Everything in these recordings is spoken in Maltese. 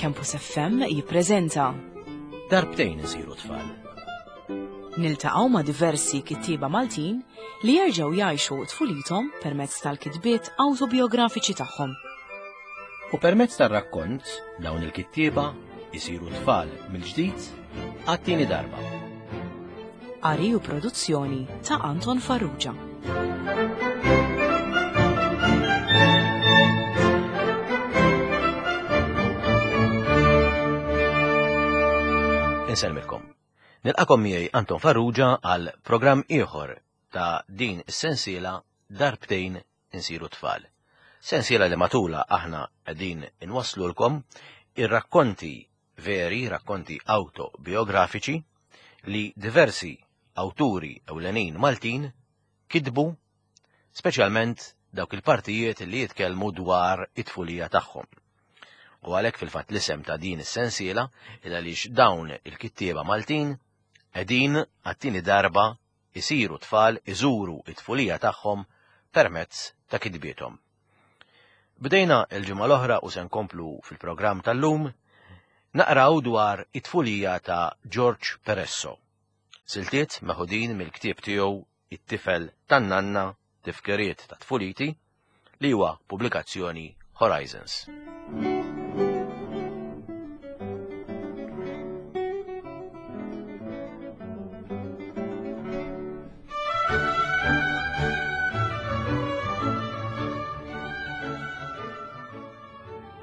Campus FM jippreżenta Darbtejn isiru tfal. Niltaqgħu ma' diversi kittieba Maltin li jerġgħu jgħixu tfulithom permezz tal-kitbiet awtobiografiċi tagħhom. U permezz tar-rakkont dawn il-kittieba isiru tfal mill-ġdid għat-tieni darba. Qari u produzzjoni ta' Anton Farrugia. Insellmilkom. Nilqakom miegħi Anton Farrugia għal programm ieħor ta' din is-sensiela darbtejn insiru tfal. Sensiela li matula aħna qegħdin inwasslulkom ir-rakkonti veri, rakkonti autobiografiċi li diversi awturi ewlenin Maltin kitbu speċjalment dawk il-partijiet li jitkellmu dwar it-tfulija tagħhom. U għalhekk fil-fatt l-isem ta' din is-sensiela il għaliex dawn il-kittieba Maltin qegħdin għat-tieni darba isiru tfal iżuru it-tfulija tagħhom permezz ta' kitbiethom. Bdejna l-ġimgħa l-oħra u se nkomplu fil-programm tal-lum naqraw dwar it-tfulija ta' George Peresso. Siltiet meħudin mill-ktieb tiegħu It-tifel tan-nanna tifkiriet ta' tfuliti li huwa pubblikazzjoni Horizons.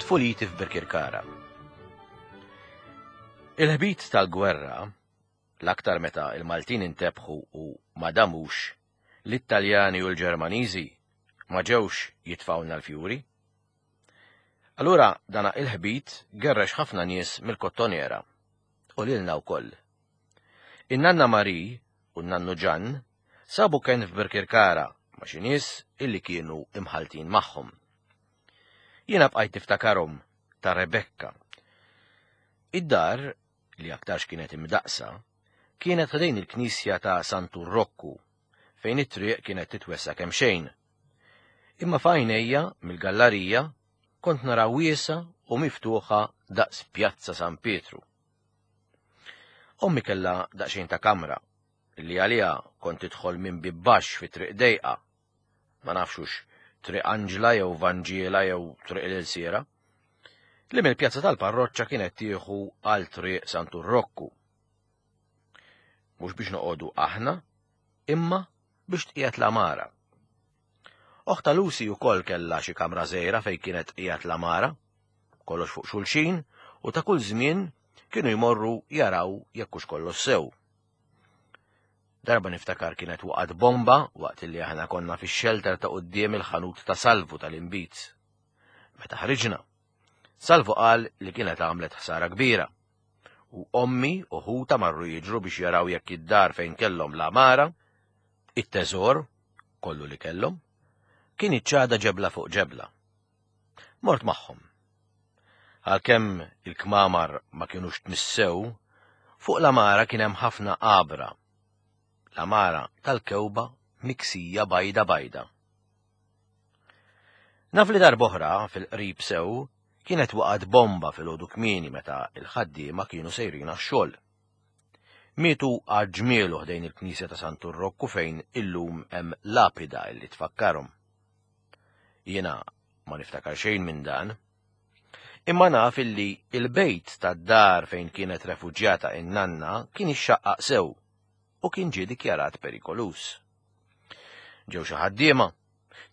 Tfuliti f'Birkirkara. Il-ħbit tal-gwerra, l-aktar meta il-Maltin intebħu u ma damux, li t-Taljani u l-Ġermaniżi ma ġewx jitfgħulna l-fjuri. Allura dana il-ħbit gerrex ħafna nies mill-Kottonera u lilna wkoll. In-nanna Marie u n-nannu Ġann sabu kenn f'Birkirkara ma' xi nies illi kienu imħalltin magħhom. Jiena bqajt niftakarhom ta' Rebecca. Id-dar, li aktarx kienet imdaqqsa, kienet ħdejn il-knisja ta' Santu Rokku, fejn it-triq kienet titwessa' kemxejn. Imma f'għajnejja, mill-gallarija, kont nara wiesgħa u miftuħa daqs Pjazza San Pietru. Ommi kellha daqsxejn ta' kamra, li għaliha kont tidħol minn bieb baxx fi triq dejqa. Ma nafx hux Triq Anġla jew Vanġiela jew Triq l-Ilsiera, li mill-pjazza tal-parroċċa kienet tieħu għal Triq Santu Rokku. Mhux biex noqogħdu aħna, imma biex tqiegħed l-għamara. Oħta Lucy wkoll kellha xi kamra żgħira fejn kienet tqiegħed l-għamara, kollox fuq xulxin u ta' kull żmien kienu jmorru jaraw jekk hux kollox sew. Darba niftakar kienet waqgħet bomba waqt li aħna konna fix-xelter ta' quddiem il-ħanut ta' Salvu tal-inbid. Meta ħriġna, Salvu qal li kienet għamlet ħsara kbira. U ommi u ħuta marru jiġru biex jaraw jekk id-dar fejn kellhom l-għamara, it-teżor, kollu li kellhom, kien iċċada ġebla fuq ġebla. Mort magħhom. Għalkemm il-kmamar ma kinux tmissew, fuq l-għamara kien hemm ħafna għabra. L-għamara tal-kewba miksija bajda bajda. Naf li darb'oħra fil-qrib sew kienet waqgħet bomba filgħodu kmieni meta l-ħaddiema kienu sejrin għax-xogħol. Mietu għad ġmielu ħdejn il-knisja ta' Santu Rokku fejn illum hemm lapida illi tfakkarhom. Jiena ma niftakar xejn minn dan. Imma naf illi il-bejt tad-dar fejn kienet refuġjata in-nanna kien ixxaqqaq sew u kien ġie dikjarat perikoluż. Ġew xi ħaddiema,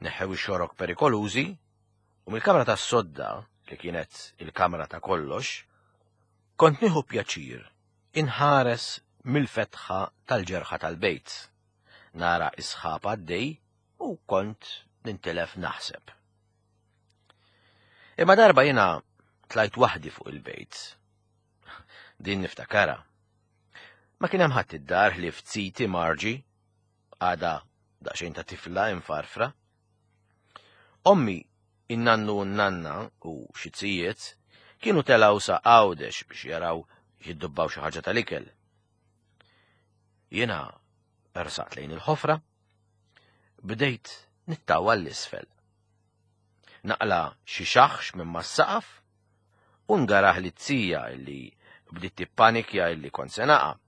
neħħew ix-xorok perikolużi u mill-kamra tas-sodda, li kienet il-kamra ta' kollox, kont nieħu pjaċir inħares mill-fetħa tal-ġerħa tal-bejt. Nara is-sħab għaddej u kont nintilef naħseb. Imma darba jiena tlajt waħdi fuq il-bejt. Din niftakara. Ma kien hemm ħadd id-dar ħlief ziti Marġi, għada daqsxejn ta' tifla infarfra. Ommi, in-nannu u n-nanna u xi zijiet kienu telgħu sa Għawdex biex jaraw jiddubbaw xi ħaġa tal-ikel. Jiena ersaqt lejn il-ħofra, bdejt nittawa l-isfel. Naqla xi xaħx minn mas-saqaf. U ngarah lit-zija illi bdiet tippanikja illi kont se naqa'.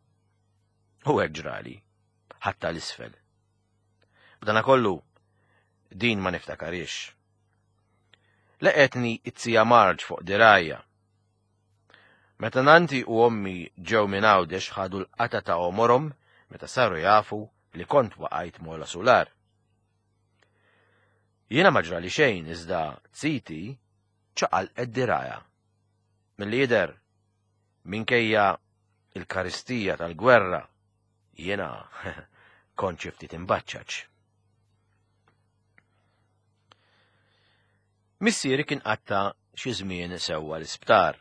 U hekk ġrali, ħadtha 'l isfel. B'danakollu, din ma niftakarhiex. Leqgħetni t-zija Marge fuq dirgħajja. Meta nanti u ommi ġew minn Għawdex ħadu l-qatgħa ta' għomorhom meta saru jafu li kont waqajt m'ogħla sular. Jiena ma ġrali xejn iżda ziti ċaqalqet dirgħajha. Milli jidher, minkejja il-karistija tal-gwerra, jiena kont xi ftit imbaċċaċ. Missieri kien qatta' xi żmien sewwa l-isptar.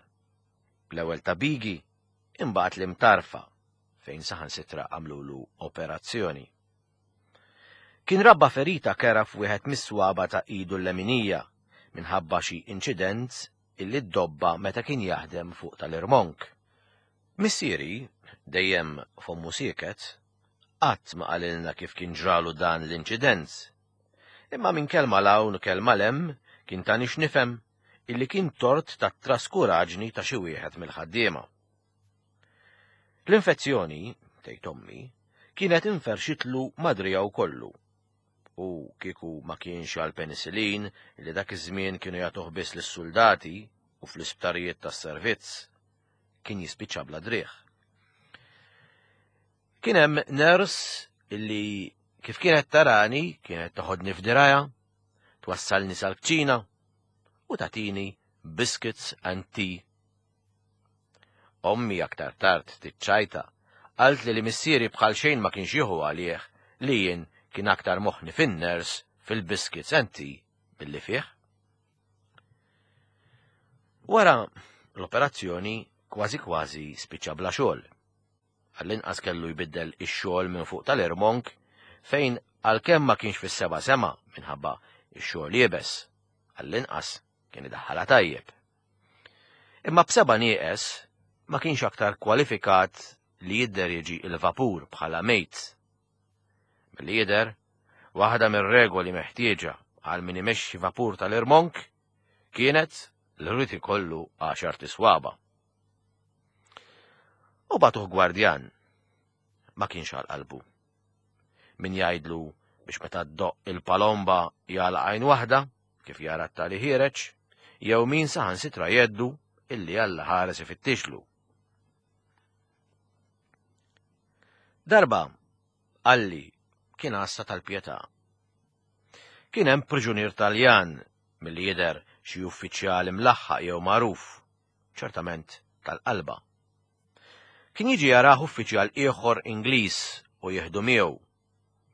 L-ewwel ta' Bigi, imbagħad l-Imtarfa, fejn saħansitra għamlulu operazzjoni. Kien rabba ferita kerha f'wieħed mis-swaba ta' idu l-leminija minħabba xi inċident illi ddobba meta kien jaħdem fuq tal-irmonk. Missieri, dejjem fommu sieket, qatt ma qalilna kif kien ġralu dan l-inċident. Imma minn kelma 'l hawn u kelma 'l hemm kien tani x'nifhem illi kien tort tat-traskuraġni ta' xi wieħed mill-ħaddiema. L-infezzjoni, tgħid ommi, kienet inferxitlu ma' driegħu kollu. U kieku ma kienx għall-penicillin li dak iż-żmien kienu jagħtuh biss lis-suldati u fl-isptarijiet tas-servizz, kien jispiċċa bla driegħ. Kien hemm nurse illi kif kienet tarani kienet toħodni f'dirajha, twassalni sal-kċina u tagħtini biscuits and tea. Ommi aktar tard tiċċajta qaltli li missieri bħal xejn ma kienx jieħu għalih li jien kien aktar moħħni fin-nurse fil-biscuits and tea milli fih. Wara l-operazzjoni kważi kważi spiċċa bla xogħol. Għall-inqas kellu jbiddel ix-xogħol minn fuq tal-irmonk fejn għalkemm ma kienx fis-seba' sema minħabba x-xogħol iebes, għall-inqas kien idaħħalha tajjeb. Imma b'seba' nieqes ma kienx aktar kwalifikat li jidderieġi l-vapur bħala mate. Milli jidher, waħda mir-regoli meħtieġa għal min imexxi vapur tal-irmonk kienet li rrid ikollu għaxart iswaba'. U bagħtuh gwardjan. Ma kienx għal qalbu. Min jgħidlu biex meta ddoqq il-palomba jagħlaq għajn waħda, kif jara t-tali ħiereġ, jew min saħansitra jgħeddu illi Alla ħares ifittixlu. Darba, qalli kien għassa tal-pjetà. Kien hemm priġunier Taljan milli jidher xi uffiċjal imlaħħaq jew magħruf ċertament tal-qalba. Kien jiġi jarah uffiċjal ieħor Ingliż u jieħdu miegħu,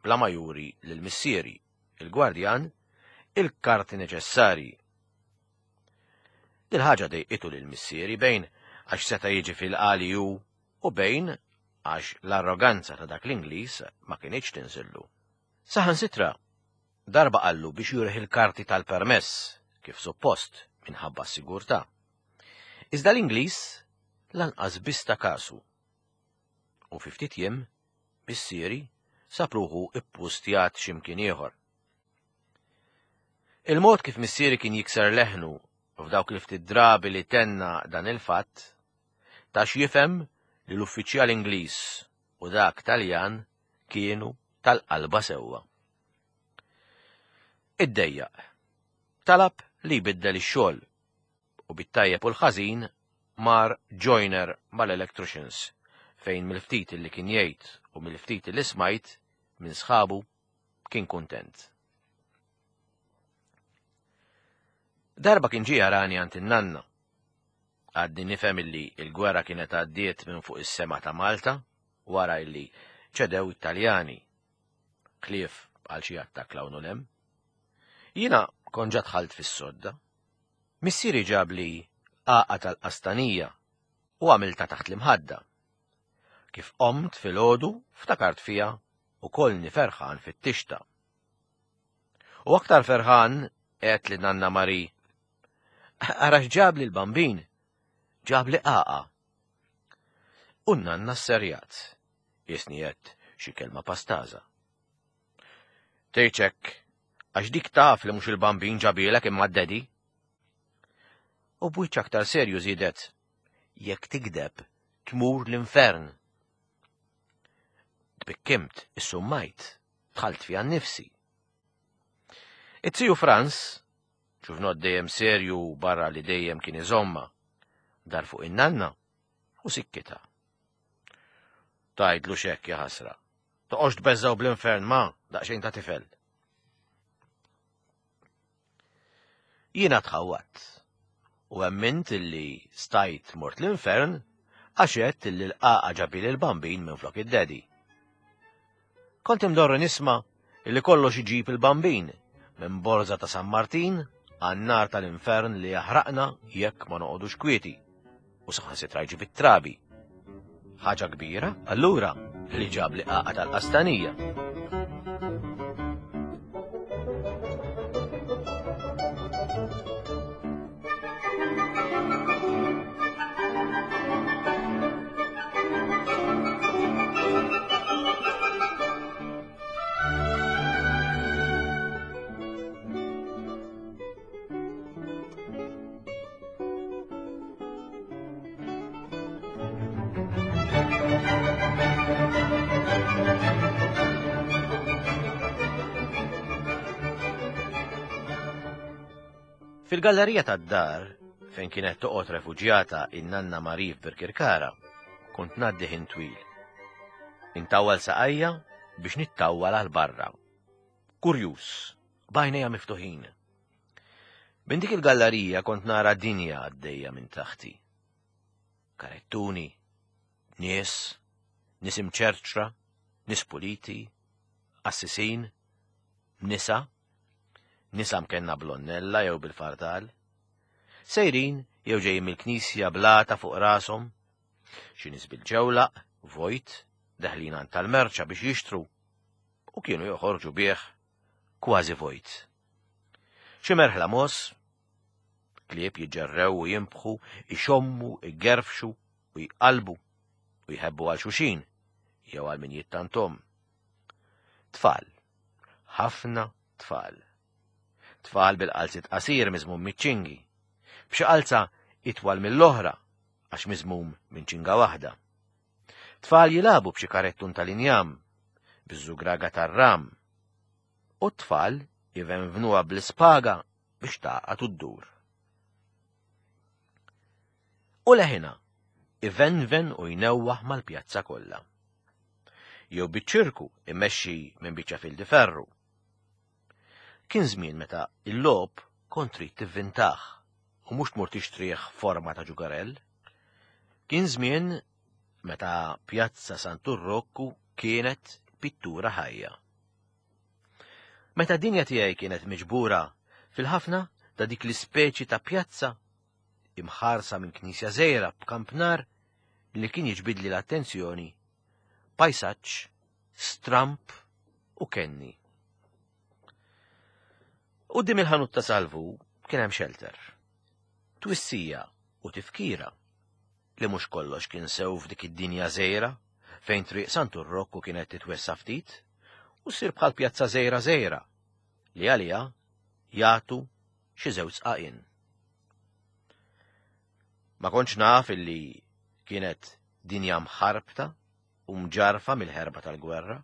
bla ma juri lil missieri, il-gwardjan, il-karti neċessarji. Dil-ħaġa dejqitu lil missieri bejn għax seta' jiġi fil-qali hu u bejn għax l-arroganza ta' dak l-Ingliż ma kinitx tinżillu. Saħansitra, darba qallu biex jurih il-karti tal-permess, kif suppost, minħabba s-sigurtà. Iżda l-Ingliż lanqas biss ta kasu. U fi ftit jiem, missieri sab ruħu ippustjat xi mkien ieħor. Il-mod kif missieri kien jikser leħnu f'dawk il-ftit drabi li tenna dan il-fatt, ta x'jifhem li l-uffiċjal Ingliż u dak Taljan kienu tal-qalba sewwa. Iddejjaq. Talab li jbiddel ix-xogħol u bit-tajjeb u l-ħażin mar joiner mal-electricians fejn mill-ftit li kien jgħid u mill-ftit li smajt minn sħabu kien kuntent. Darba kien ġie jarani għand in-nanna. Għadni nifhem illi l-gwerra kienet għaddiet minn fuq is-sema ta' Malta wara illi ċedew it-Taljani. Ħlief għal xi attakk 'l hawn u 'l hemm. Jiena kont ġa dħalt fis-sodda. Missieri ġabli għaqa tal-qastanija u għamiltha taħt l-imħadda. Kif qomt filgħodu ftakart fiha u kollni ferħan fittixtha. U aktar ferħan għedt lil Nanna Marie, Ara x'ġabli l-Bambin! Ġabli għaqa. U n-nanna sserjat. Qisni għedt xi kelma pastaża. Tgħidx hekk, għax dik taf li mhux il-Bambin ġabielek imma d-daddy. U b'wiċċ aktar serju żiedet, Jekk tigdeb, tmur l-infern. Tbikkimt, issummajt, dħalt fiha nnifsi. It-tiju Franz, ġuvnot dejjem serju barra li dejjem kien iżomma, dar fuq in-nanna u sikkita. Tajdlu xekk ja ħasra. Toqgħodx tbeżżgħu bl-infern ma, daqsxejn ta' tifel. Jiena tħawwadt u emmint illi stajt mort l-infern għax għedt illi l-qaqa ġabili l-bambin minflok id-daddy. Kont imdorri nisma' illi kollox iġib il-bambin minn borża ta' San Martin għan-nar tal-infern li jaħraqna jekk ma noqogħdux kwieti. u saħansitra jġib it-trabi. Ħaġa kbira, allura, li ġab li qaqa tal-qastanija. Fil-gallerija tad-dar, fejn kienet toqgħod refuġjata in-nanna Marie f'Birkirkara, kont ngħaddi ħin twil. Intawwal saqajja biex nittawwal għal barra. Kurjuż, b'għajnejja miftuħin. Minn dik il-gallerija kont nara dinja għaddejja minn taħti. Karettuni, nies, nies imċerċra, nies puliti, qassisin, nisa, nisa mkenna blonnella jew bil-fardal, sejrin jew ġejjin mill-knisja blata fuq rashom, xi nies bil-ġewlaq, vojt, deħlin għand tal-merċa biex jixtru, u kienu joħorġu bih kważi vojt. Xi merħla mogħoż, klieb jiġġerrew u jinbħu, ixommu, igerfxu u jqallbu u jħebbu għal xuxin jew għal min jittantom. Tfal, ħafna tfal. Tfal bil-qalzit qasir miżmum miċ-ċingi, b'xi qalza itwal mill-oħra għax miżmum minn ċinga waħda. Tfal jilagħbu b'xi karettun tal-injam, biż-żugraga tar-ram, u t-tfal ivenvnuha bl-ispaga biex tagħqad u ddur. U leħinha ivenven u jnewwaħ mal-pjazza kollha. Jew biċ-ċirku immexxi minn biċċa fil ferru. Kien żmien meta il-logħob kont trid tivvintah u mhux tmur tixtrih forma ta' ġugarell. Kien żmien meta Pjazza Santu Rokku kienet pittura ħajja. Meta d-dinja tiegħi kienet miġbura fil-ħafna ta' dik l-ispeċi ta' pjazza imħarsa minn knisja żgħira b'kampnar li kien jiġbidli l-attenzjoni, pajsaġġ stramp u kenni. Quddiem il-ħanut ta' Salvu kien hemm xelter. Twissija u tifkira li mhux kollox kien sew f'dik id-dinja żgħira fejn triq Santu Rokku kienet titwessa' ftit u ssir bħal pjazza żgħira żgħira li għaliha jagħtu xi żewġ sqaqien. Ma kontx naf illi kienet dinja mħarbta u mġarfa mill-ħerba tal-gwerra.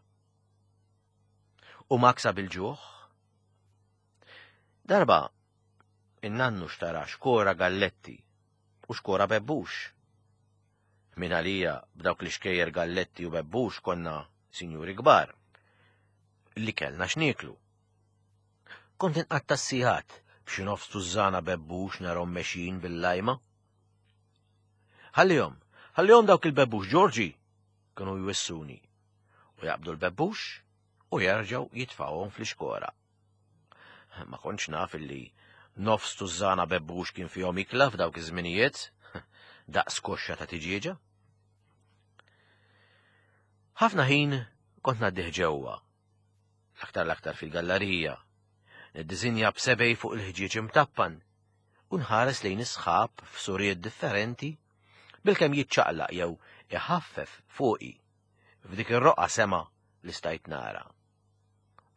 U maksa bil-ġuħ. Darba, in-nannu xtara xkora galletti u xkora bebbux. Min għalija b'dawk li xkejjer galletti u bebbux konna sinjuri kbar li kellna x'nieklu. Kont inqatta' s-sigħat b'xi nofs tużżana bebbux narhom mexjin bil-lajma. Ħallihom, ħallihom dawk il-bebbux Ġorġi, kienu jwissuni. U jaqbdu l-bebbux u jerġgħu jitfgħuhom fl-ixkora. Ma kontx naf illi nofs tużżana bebbux kien fihom ikla f'dawk iż-żminijiet, daqs koxxa ta' tiġieġa. Ħafna ħin kont ngħaddih ġewwa, l-aktar l-aktar fil-gallarija, niddisinja b'sebej fuq il-ħġieġ imtappan u nħares lejn is-sħab f'suriet differenti bilkemm jiċċaqlaq jew iħaffef fuqi f'dik ir-roqgħa sema li stajt nara.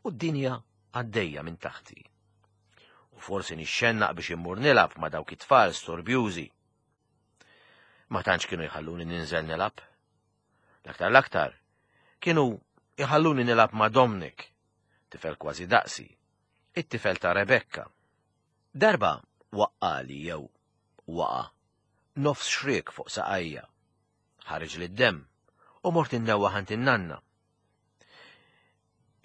U d-dinja għaddejja minn taħti. U forsi nixxennaq biex immur nilgħab ma' dawk it-tfal storbjużi. Ma tantx kienu jħalluni ninżel nilgħab. L-aktar l-aktar, kienu jħalluni nilgħab ma' Dominic, tifel kważi daqsi, it-tifel ta' Rebecca. Darba waqqali jew waqa' nofs xriek fuq saqajja. Ħariġli d-demm u mort innewwaħ għand in-nanna.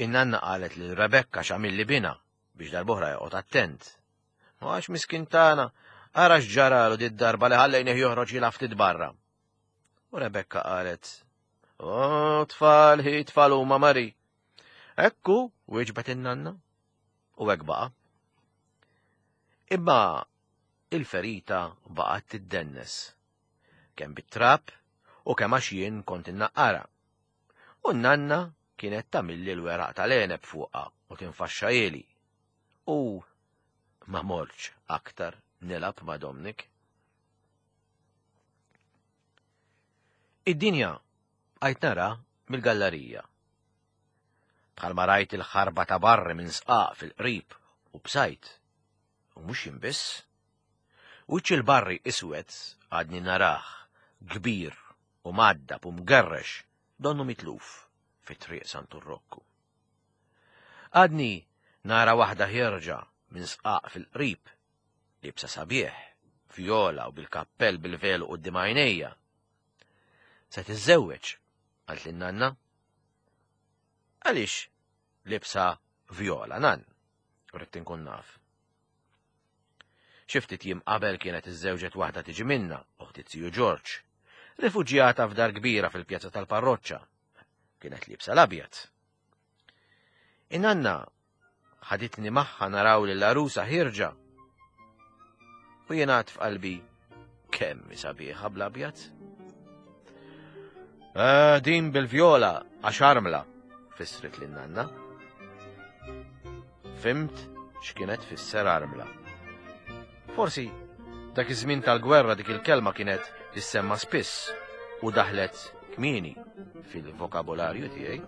In-nanna qalet lil Rebecca x'għamilli bina biex darb'oħra joqgħod attent. Għax miskin tagħna, ara x'ġaralu did-darba li ħallejnih joħroġ jilgħab ftit barra. U Rebecca qalet, O tfal, hi tfal huma Mari. Ekku, wieġbet in-nanna. U hekk baqa'. Imma il-ferita baqgħet tiddennes. Kemm bit-trab u kemm għax jien kont innaqqara. U n-nanna kienet tagħmilli l-weraq tal-għeneb fuqha u tinfaxxahieli. U ma mortx aktar nilgħab ma' Dominic. Id-dinja bqajt nara mill-gallarija. Bħalma rajt il-ħarba ta' barri minn sqaq fil-qrib u bsajt. U mhux jien biss. Wiċċ il-barri iswed għadni narah, kbir u mgħaddab u mgerrex donnu mitluf fi Triq Santu Rokku. Għadni nara waħda ħierġa minn sqaq fil-qrib, liebsa sabiħ, vjola u bil-kappell bil-velu quddiem għajnejja. Se tiżżewweġ, qaltli n-nanna. Għaliex liebsa vjola, nan? Ridt inkun naf. Xi ftit jiem qabel kienet iżżewġet waħda tiġi minna, oħt iz-ziju Ġorġ, rifuġjata f'dar kbira fil-pjazza tal-parroċċa. Kienet liebsa l-abjad. In-nanna ħaditni magħha naraw lil għarusa ħierġa. U jien għad f'qalbi kemm hi sabiħa bl-abjad. Eh, din bil-vjola għax armla, fissret lin nanna. Fimt x'kienet tfisser armla. Forsi dak iż-żmien tal-gwerra dik il-kelma kienet tissemma spiss u daħlet kmieni fil-vokabolarju tiegħi.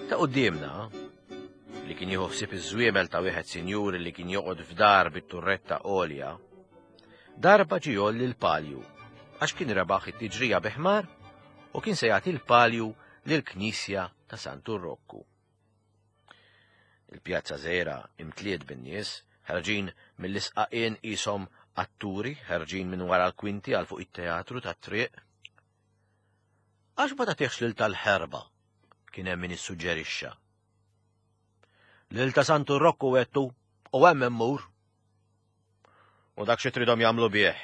Ta' quddiemna, li kien jieħu ħsieb iż-żwiemel ta' wieħed sinjur li kien joqgħod f'dar bit-turretta għolja, darba ġie jgħolli l-palju għax kien rebaħ it-tiġrija bi ħmar u kien se jagħti l-palju lill-knisja ta' Santu Rokku. Il-pjazza żgħira imtliet bin-nies, ħerġin mill-isqaqien qishom atturi ħerġin minn wara l-kwinti għal fuq it-teatru tat-triq. Għax ma tagħtihx lil tal-ħerba, kien hemm min issuġġerixxa. Lil ta' Santu Rokku għedtu u hemm immur. U dak xi tridhom jagħmlu bih.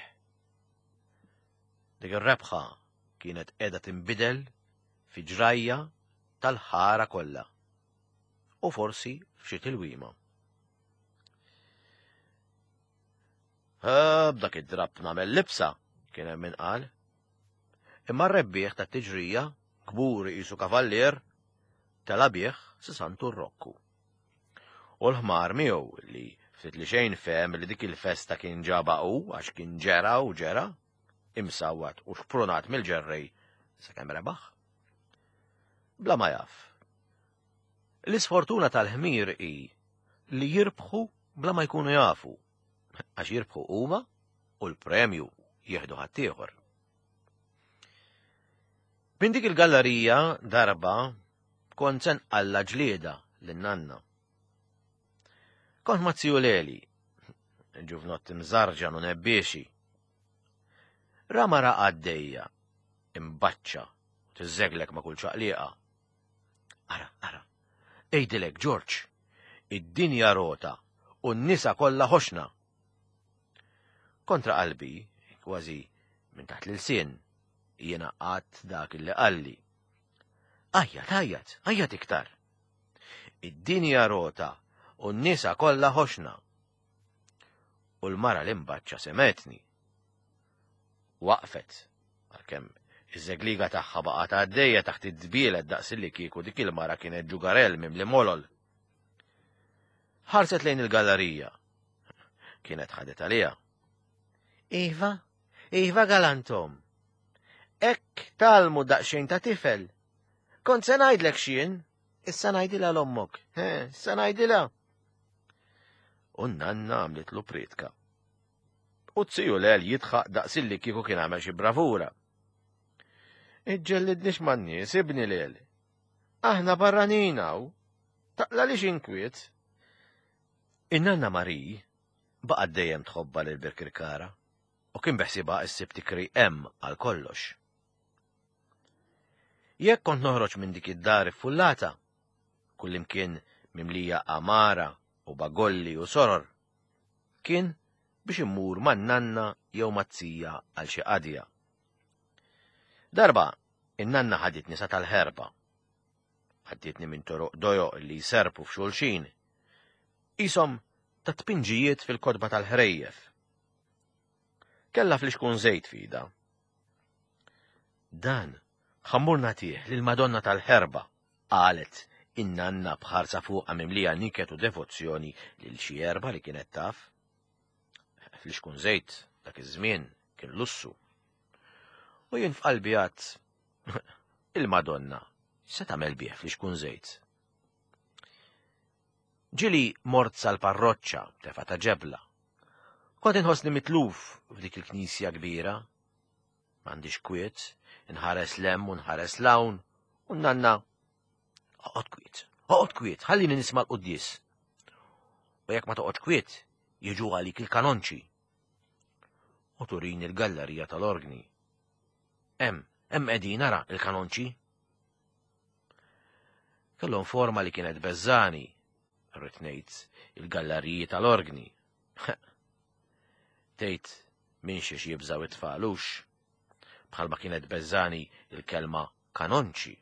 Dik ir-rebħa kienet qiegħda tinbidel fi ġrajja tal-ħara kollha u forsi f'xi tilwima. B'dak id-drapp nagħmel libsa, kien hemm min qal. Imma r-rebbieħ tat-tiġrija, kburi qisu kavallier, tela' bih sa Santu Rokku. U l-ħmar miegħu li ftit li xejn fehem li dik il-festa kien ġabha hu għax kien ġera u ġera, imsawwat u xprunat mill-ġerrej sakemm rebaħ. Bla ma jaf. L-isfortuna tal-ħmir hi li jirbħu bla ma jkunu jafu, għax jirbħu huma u l-premju jieħdu ħaddieħor. Minn dik il-gallerija darba kont se nqalla ġlieda lin-nanna. Kont ma' ziju Leli, ġuvnott imżarġan u nebbiexi. Ra mara għaddejja, imbaċċa, u tiżżeglek ma' kull ċaqliqa. Ara, ara, għidilek, Ġorġ, id-dinja rota u n-nisa kollha ħoxna. Kontra qalbi, kważi minn taħt l-ilsien, jiena qatt dak li qalli. Għajjat, għajjat, għajjat iktar. Id-dinja rota U n-nisa kollha ħoxna. U l-mara l-imbaċċa semetni. Waqfet, għalkemm iż-żegliga tagħha baqgħet għaddejja taħt id-dbielet daqs li kieku dik il-mara kienet ġugarell mimli molol. Ħarset lejn il-gallerija. Kienet ħadet għaliha. Iva, iva galantom. Hekk talmu daqsxejn ta' tifel. Kont se ngħidlek x'jien, issa ngħidilha l-ommok. Issa ngħidilha. U nanna għamlitlu pritka. U t-siju lel jidħaq daqsilli kieku kien għamel xi bravura. Iġġellidnix man-nies, ibni lel. Aħna barranin hawn. Taqla li inkwiet. In-nanna Mari baqgħet dejjem tħobba lil Birkirkara u kien beħsiebha issib tikri hemm għal kollox. Jekk kont noħroġ minn dik id-dar iffullata, kullimkien mimlija għamara u bagolli u soror, kien biex immur man-nanna jew mat-zija għal xi qadja. Darba, in-nanna ħaditni sa tal-ħerba. Għaddietni minn toroq dojoq li jserpu f'xulxin. Qishom ta' tpinġijiet fil-kotba tal-ħrejjef. Kellha flixkun żejt f'idha. Dan ħammur nagħtih lill-Madonna tal-Ħerba, qalet in-nanna b'ħarsa fuqha mimlija niket u devozzjoni lil xi erba li kienet taf. Flixkun żejt dak iż-żmien kien lussu. U jien f'qalbi għad il-Madonna se tagħmel bih flixkun żejt. Ġili mort sal-parroċċa tefa ta' ġebla. Kont inħossni mitluf f'dik il-knisja kbira. M'għandix kwiet, inħares lem u nħares lawn, u nanna oqgħod kwiet, oqgħod kwiet, ħallini nisma' l-quddies. U jekk ma toqgħodx kwiet, jiġu għalik il-kanonċi. U turini l-gallerija tal-orgni. Hemm, hemm qegħdin ara il-kanonċi. Kellhom forma li kienet beżżani, rrid ngħid il-galleriji tal-orgni. Tgħid minn xiex jibżaw it-tfal hux. Bħalma kienet beżżani il-kelma kanonċi.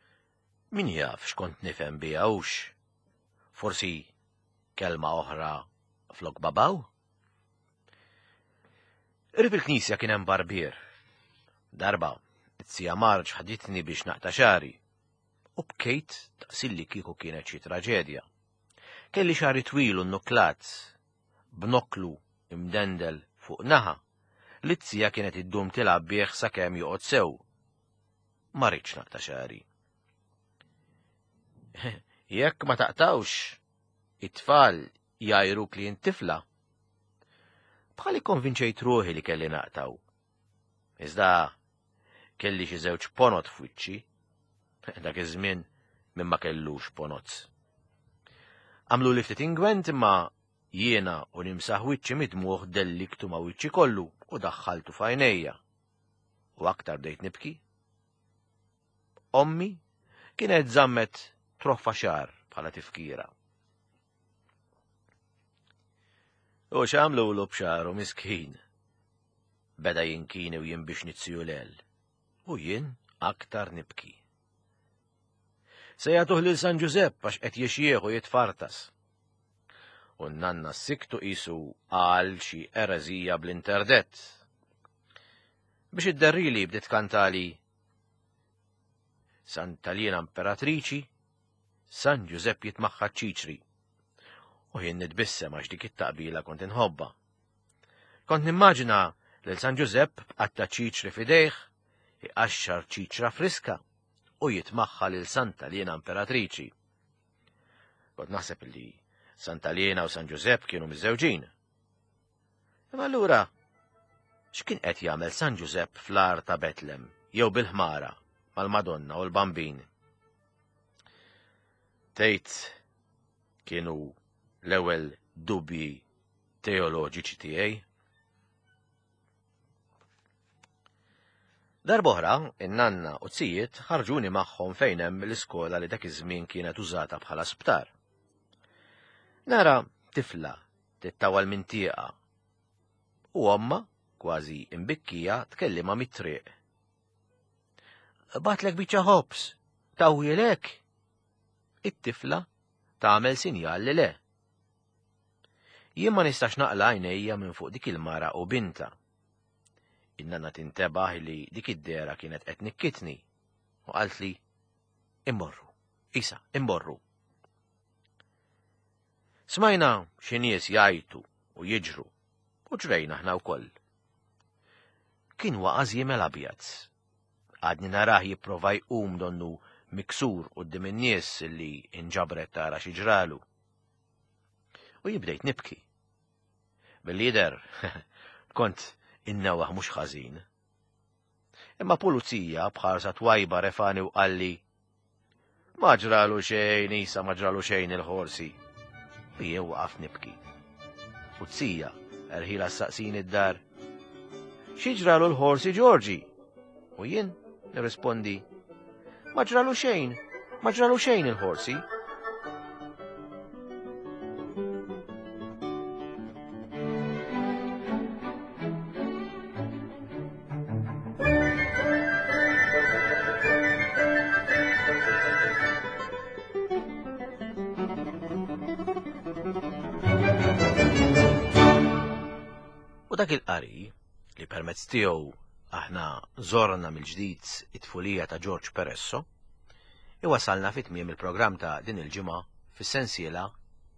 Min jaf x'kont nifhem biha hux. Forsi kelma oħra flok babaw? Qrib il-knisja kien hemm barbier. Darba, it-sija Marġ ħaditni biex naqta' xagħri. U bkejt daqsilli kieku kienet xi traġedja. Kelli xagħri twil u nnuklat, b'nokklu imdendel fuq naħa, li t-sija kienet iddum tilgħab bih sakemm joqgħod sew. Ma ridtx naqta' xagħri. Jekk ma taqtawx, it-tfal jgħajruk li int tifla. Bħal ikkonvinċejt ruħi li kelli naqtaw. Iżda kelli xi żewġ ponot f'wiċċi. Dak iż-żmien min ma kellux ponot. Għamlu li ftit ingwent imma jiena u nimsaħ wiċċi midmuħ delliktu ma' wiċċi kollu u daħħaltu f'għajnejja. U aktar bdejt nibki. Ommi kienet żammet troffa xagħar bħala tifkira. U x'għamlulu b'xagħru miskin? Beda jinkini u jinbix nizziju lel. U jien aktar nibki. Se jagħtuh lil San Ġużepp għax qed jixjieħ u jitfartas. U n-nanna siktu qisu qal xi ereżija bl-interdett. Biex idderrili bdiet kantali Santa Liena Imperatriċi, San Ġużepp jitmaħħa ċiċri. U jien nitbissem għax dik it-taqbila kont inħobba. Kont nimmaġina lil San Ġużepp b'qatta ċiċri f'idejh, iqaxxar ċiċra friska u jitmaħħa lil Santa Liena Imperatriċi. Kont naħseb li Santa Liena u San Ġużepp kienu miżżewġin. Imma allura x'kien qed jagħmel San Ġużepp fl-għar ta' Betlem jew bil-ħmara mal-Madonna u l-Bambin? Tgħid kienu l-ewwel dubji teoloġiċi tiegħi? Darb'oħra, in-nanna u t-sijiet ħarġuni magħhom fejn hemm l-iskola li dak iż-żmien kienet użata bħala sptar. Nara tifla tittawal minn tieqa u omma, kważi imbikkija, tkellimha mit-triq. Batlek biċċa ħobż, tawwielek? It-tifla tagħmel sinjal li le. Jien ma nistax naqla' għajnejja minn fuq dik il-mara u bintha. In-nanna tintebaħ li dik id-dehra kienet qed tnikkitni u qaltli, Immorru, Isa, immorru. Smajna xi nies jgħajtu u jiġru u ġrejna aħna wkoll. Kien waqa' żiemel abjad. Għadni narah jipprova jqum donnu miksur quddiem in-nies li inġabret tara xi ġralu. U jien bdejt nibki. Billi jidher, kont innewaħ mhux ħażin. Imma pulizija b'ħarsa twajba refani u qalli, Ma ġralu xejn, Isa, ma ġralu xejn il-ħorsi. U jien waqaft nibki. U t-sija, erħila s-saqsini d-dar. Xi ġralu l-ħorsi Ġorġi? U jien nirrispondi, Ma ġralu xejn, ma ġralu xejn il-ħorsi. U dak il-qari li permezz tiegħu aħna żorna mill-ġdid it-tfulija ta' George Peresso, iwasalna fi tmiem il-programm ta' din il-ġimgħa fis-sensiela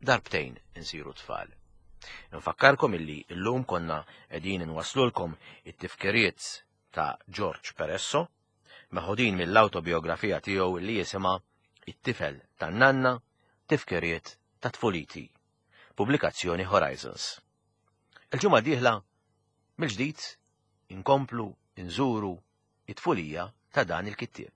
Darbtejn insiru tfal. Nfakkarkom illi llum konna qegħdin inwasslulkom it-tifkiriet ta' George Peresso, meħudin mill-awtobiografija tiegħu li jisimha It-tifel tan-nanna, tifkiriet ta' tfuliti. Pubblikazzjoni Horizons. Il-ġimgħa d-dieħla mill-ġdid inkomplu nżuru it-tfulija ta' dan il-kittieb.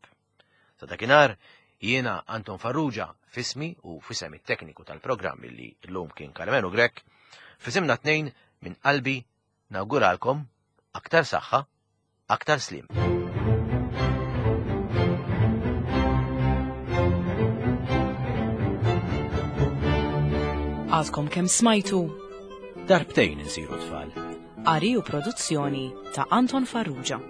Sa dakinhar jiena Anton Farrugia f'ismi u f'isem it-tekniku tal-programm li llum kien Karmenu Grech, f'isimna tnejn minn qalbi nawguralkom aktar saħħa, aktar sliem. Għadkom kemm smajtu Darbtejn insiru tfal. Qari u produzzjoni ta' Anton Farrugia.